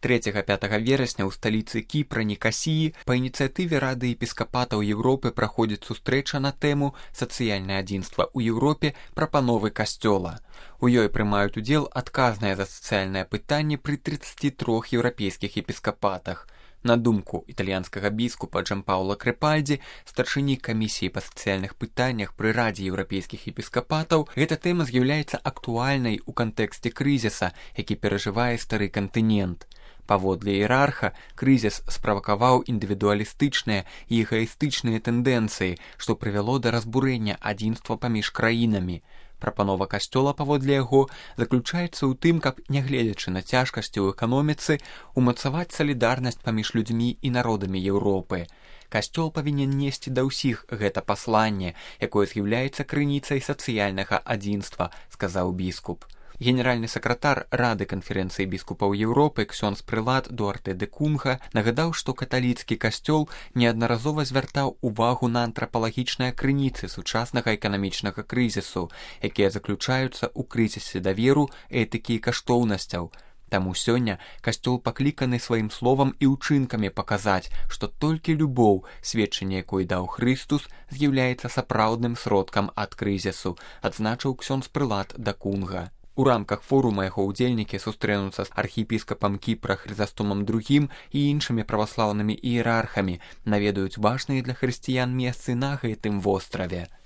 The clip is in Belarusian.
3-5 верасня ў сталіцы Кіпра Нікасіі па ініцыятыве Рады епіскапатаў Еўропы праходзіць сустрэча на тэму «Сацыяльнае адзінства ў Еўропе. Прапановы касцёла». У ёй прымаюць удзел адказныя за сацыяльнае пытанне пры 33 еўрапейскіх епіскапатах. На думку італьянскага біскупа Джампаўла Крэпальдзі, старшыні камісіі па сацыяльных пытаннях пры Радзе еўрапейскіх епіскапатаў, гэта тэма з'яўляецца актуальнай у кантэксце крызіса, які перажывае стары кантынент. Паводле іерарха, крызіс справакаваў індывідуалістычныя і эгаістычныя тэндэнцыі, што прывяло да разбурэння адзінства паміж краінамі. Прапанова касцёла, паводле яго, заключаецца ў тым, каб, нягледзячы на цяжкасці ў эканоміцы, умацаваць салідарнасць паміж людзьмі і народамі Еўропы. Касцёл павінен несці да ўсіх гэта пасланне, якое з'яўляецца крыніцай сацыяльнага адзінства, сказаў біскуп. Генеральны сакратар Рады канферэнцыі біскупаў Еўропы ксёндз прылад Дуарте де Кунга нагадаў, што каталіцкі касцёл неаднаразова звяртаў увагу на антрапалагічныя крыніцы сучаснага эканамічнага крызісу, якія заключаюцца ў крызісе даверу, этыкі і каштоўнасцяў. Таму сёння касцёл пакліканы сваім словам і ўчынкамі паказаць, што толькі любоў, сведчанне якой даў Хрыстус, з'яўляецца сапраўдным сродкам ад крызісу, адзначыў ксёндз прылад да Кунга. У рамках форума яго ўдзельнікі сустрэнуцца з архіепіскапам Кіпра Хрызастомам II і іншымі праваслаўнымі іерархамі, наведаюць важныя для хрысціян месцы на гэтым востраве.